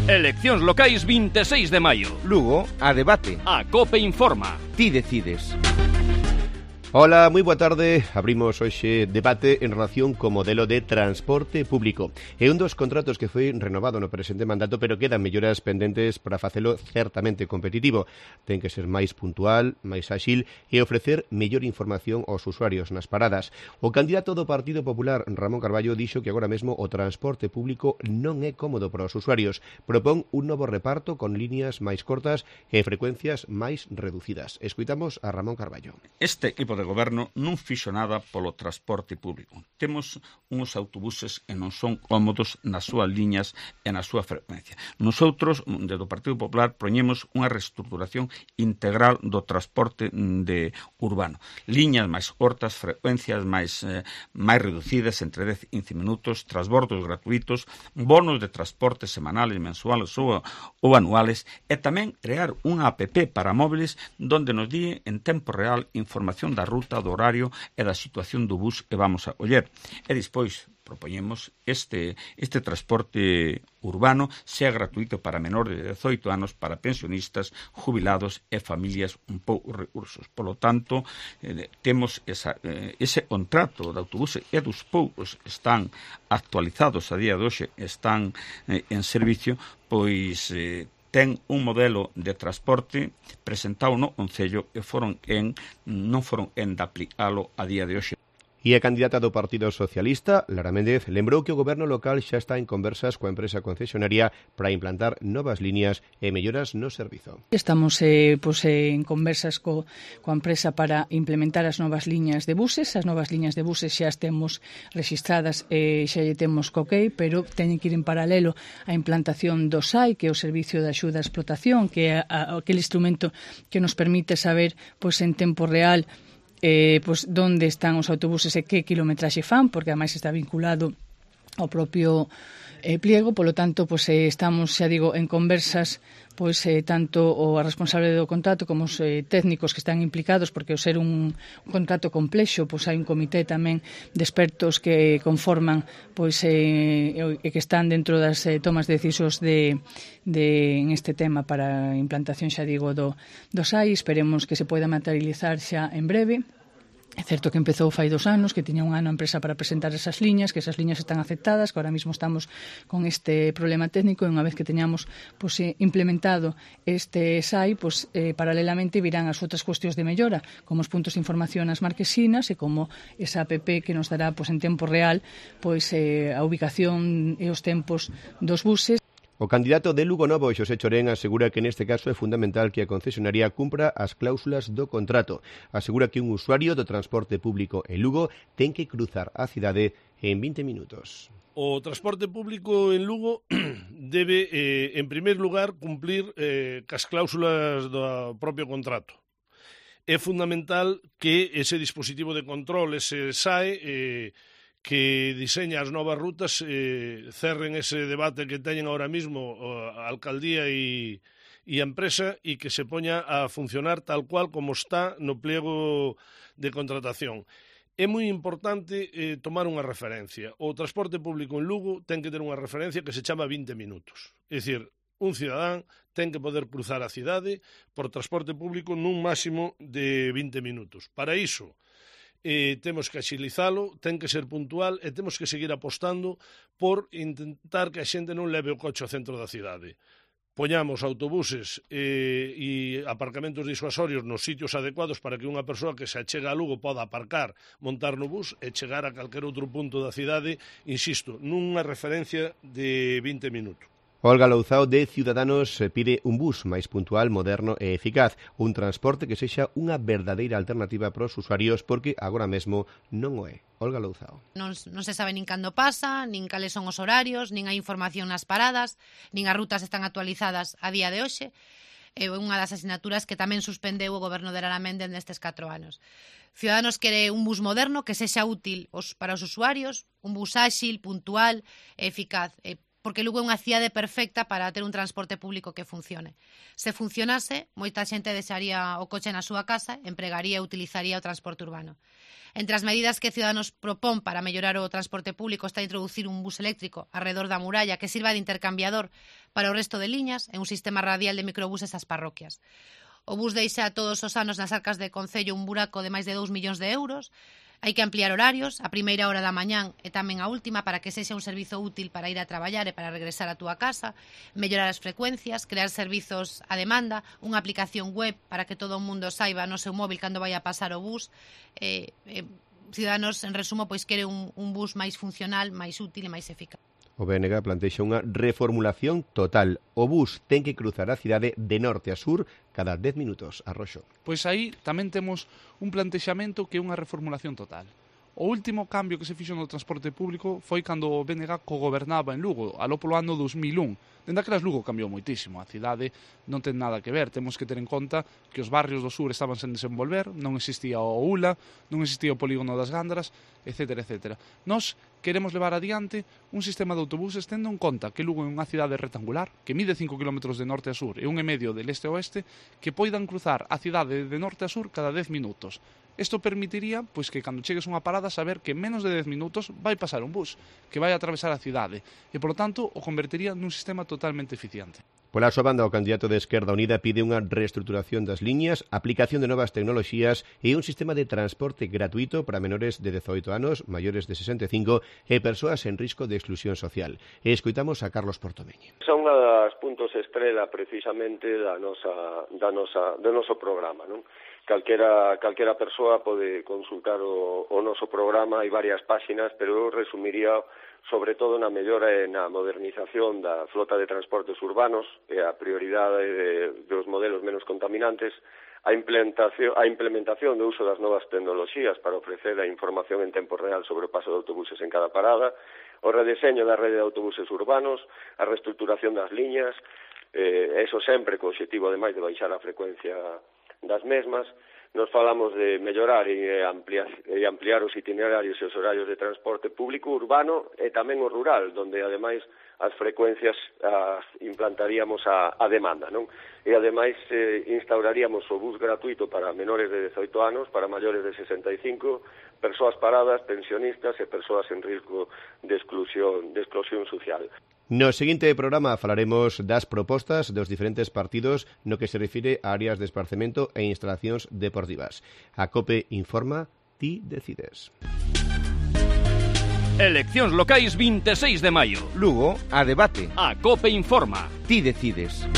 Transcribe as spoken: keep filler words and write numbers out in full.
Eleccións locais vinte e seis de maio. Lugo, a debate. A COPE informa. Ti decides. Hola, moi boa tarde. Abrimos hoxe debate en relación co modelo de transporte público. É un dos contratos que foi renovado no presente mandato, pero quedan melloras pendentes para facelo certamente competitivo. Ten que ser máis puntual, máis áxil e ofrecer mellor información aos usuarios nas paradas. O candidato do Partido Popular, Ramón Carballo, dixo que agora mesmo o transporte público non é cómodo para os usuarios. Propón un novo reparto con líneas máis cortas e frecuencias máis reducidas. Escoitamos a Ramón Carballo. Este equipo de goberno non fixo nada polo transporte público. Temos uns autobuses que non son cómodos nas súas liñas e na súa frecuencia. Nosotros, desde o Partido Popular, proñemos unha reestruturación integral do transporte de urbano. Liñas máis cortas, frecuencias máis, eh, máis reducidas, entre dez e quince minutos, transbordos gratuitos, bonos de transporte semanales, mensuales ou, ou anuales, e tamén crear unha app para móviles donde nos di en tempo real información da ruta, do horario e da situación do bus que vamos a coller. E despois propoñemos este, este transporte urbano sea gratuito para menores de dezoito anos, para pensionistas, jubilados e familias un pouco recursos. Por lo tanto, eh, temos esa, eh, ese contrato de autobuses e dos poucos están actualizados a día de hoxe, están eh, en servicio, pois eh, ten un modelo de transporte presentado no Concello e foron en, non foron en de aplicalo a día de hoxe. E a candidata do Partido Socialista, Lara Méndez, lembrou que o goberno local xa está en conversas coa empresa concesionaria para implantar novas líneas e melloras no servizo. Estamos eh, pues, eh, en conversas co, coa empresa para implementar as novas liñas de buses. As novas liñas de buses xa as temos registradas e xa lle temos co ok, pero teñen que ir en paralelo a implantación do S A I, que é o Servicio de Axuda a Explotación, que é a, a, aquele instrumento que nos permite saber pues, en tempo real Eh, pues, donde están os autobuses e que kilometraxe fan, porque ademais está vinculado ao propio eh, pliego, polo tanto, pues, eh, estamos, xa digo, en conversas pois eh, tanto o responsable do contrato como os eh, técnicos que están implicados, porque ao ser un, un contrato complexo, pois hai un comité tamén de expertos que conforman pois eh, e que están dentro das eh, tomas de decisións de, de en este tema para a implantación, xa digo, do, do S A I. Esperemos que se poida materializar xa en breve. É certo que empezou fai dos anos, que tiña un ano a empresa para presentar esas liñas, que esas liñas están aceptadas, que ahora mismo estamos con este problema técnico e unha vez que teñamos pues, implementado este S A I, pues, eh, paralelamente virán as outras cuestións de mellora, como os puntos de información nas marquesinas e como esa app que nos dará pues, en tempo real pues, eh, a ubicación e os tempos dos buses. O candidato de Lugo Novo, Xosé Chorén, asegura que neste caso é fundamental que a concesionaria cumpra as cláusulas do contrato. Asegura que un usuario do transporte público en Lugo ten que cruzar a cidade en vinte minutos. O transporte público en Lugo debe, eh, en primeiro lugar, cumplir eh, cas cláusulas do propio contrato. É fundamental que ese dispositivo de control, ese S A E, eh, que diseña as novas rutas, eh, cerren ese debate que teñen ahora mismo a alcaldía e, e a empresa e que se poña a funcionar tal cual como está no pliego de contratación. É moi importante eh, tomar unha referencia. O transporte público en Lugo ten que ter unha referencia que se chama vinte minutos. É dicir, un cidadán ten que poder cruzar a cidade por transporte público nun máximo de vinte minutos. Para iso, Eh, temos que axilizalo, ten que ser puntual e temos que seguir apostando por intentar que a xente non leve o coche ao centro da cidade. Poñamos autobuses eh, e aparcamentos disuasorios nos sitios adecuados para que unha persoa que se achega a Lugo poda aparcar, montar no bus e chegar a calquer outro punto da cidade, insisto, nunha referencia de vinte minutos. Olga Louzao de Ciudadanos pide un bus máis puntual, moderno e eficaz, un transporte que sexa unha verdadeira alternativa para os usuarios porque agora mesmo non o é. Olga Louzao. Non, non se sabe nin cando pasa, nin cales son os horarios, nin hai información nas paradas, nin as rutas están actualizadas a día de hoxe. É unha das asignaturas que tamén suspendeu o goberno de Lara Méndez nestes catro anos. Ciudadanos quere un bus moderno que sexa útil os, para os usuarios, un bus áxil, puntual e eficaz. E porque Lugo é unha cidade perfecta para ter un transporte público que funcione. Se funcionase, moita xente deixaría o coche na súa casa, empregaría e utilizaría o transporte urbano. Entre as medidas que Ciudadanos propón para mellorar o transporte público está introducir un bus eléctrico arredor da muralla que sirva de intercambiador para o resto de liñas e un sistema radial de microbuses ás parroquias. O bus deixa todos os anos nas arcas de Concello un buraco de máis de dous millóns de euros. Hai que ampliar horarios, a primeira hora da mañán e tamén a última para que sexa un servizo útil para ir a traballar e para regresar á túa casa, mellorar as frecuencias, crear servizos a demanda, unha aplicación web para que todo o mundo saiba no seu móvil cando vai a pasar o bus. Eh, eh, Ciudadanos, en resumo, pois quere un, un bus máis funcional, máis útil e máis eficaz. O B N G plantexa unha reformulación total. O bus ten que cruzar a cidade de norte a sur cada dez minutos. Arroxo. Pois aí tamén temos un plantexamento que é unha reformulación total. O último cambio que se fixo no transporte público foi cando o B N G cogobernaba en Lugo, aló polo ano dos mil un. Dende aquelas Lugo cambiou moitísimo, a cidade non ten nada que ver, temos que ter en conta que os barrios do sur estaban sen desenvolver, non existía o U L A, non existía o polígono das Gándaras, etcétera, etcétera. Nós queremos levar adiante un sistema de autobuses tendo en conta que Lugo é unha cidade rectangular, que mide cinco kilómetros de norte a sur e un e medio de leste a oeste, que poidan cruzar a cidade de norte a sur cada dez minutos. Isto permitiría pois que cando chegues a unha parada saber que en menos de dez minutos vai pasar un bus, que vai atravesar a cidade, e, polo tanto, o convertiría nun sistema totalmente eficiente. Pola súa banda, o candidato de Esquerda Unida pide unha reestruturación das liñas, aplicación de novas tecnoloxías e un sistema de transporte gratuito para menores de dezoito anos, maiores de sesenta e cinco e persoas en risco de exclusión social. E escoitamos a Carlos Portomeñi. Son unha das puntos estrela precisamente da nosa, da nosa, do noso programa, non? Calquera, calquera persoa pode consultar o, o noso programa, hai varias páxinas, pero eu resumiría sobre todo na mellora e na modernización da flota de transportes urbanos e a prioridade de, dos modelos menos contaminantes, a implementación, a implementación do uso das novas tecnoloxías para ofrecer a información en tempo real sobre o paso de autobuses en cada parada, o redeseño da rede de autobuses urbanos, a reestructuración das liñas, eh, eso sempre co objetivo ademais de baixar a frecuencia das mesmas. Nos falamos de mellorar e ampliar, e ampliar os itinerarios e os horarios de transporte público urbano e tamén o rural, donde ademais as frecuencias as implantaríamos a, a demanda, non? E ademais eh, instauraríamos o bus gratuito para menores de dezoito anos, para maiores de sesenta e cinco, persoas paradas, pensionistas e persoas en risco de exclusión, de exclusión social. No seguinte programa falaremos das propostas dos diferentes partidos no que se refire a áreas de esparcemento e instalacións deportivas. A COPE informa, ti decides. Eleccións locais vinte e seis de maio. Lugo, a debate. A COPE informa. Ti decides.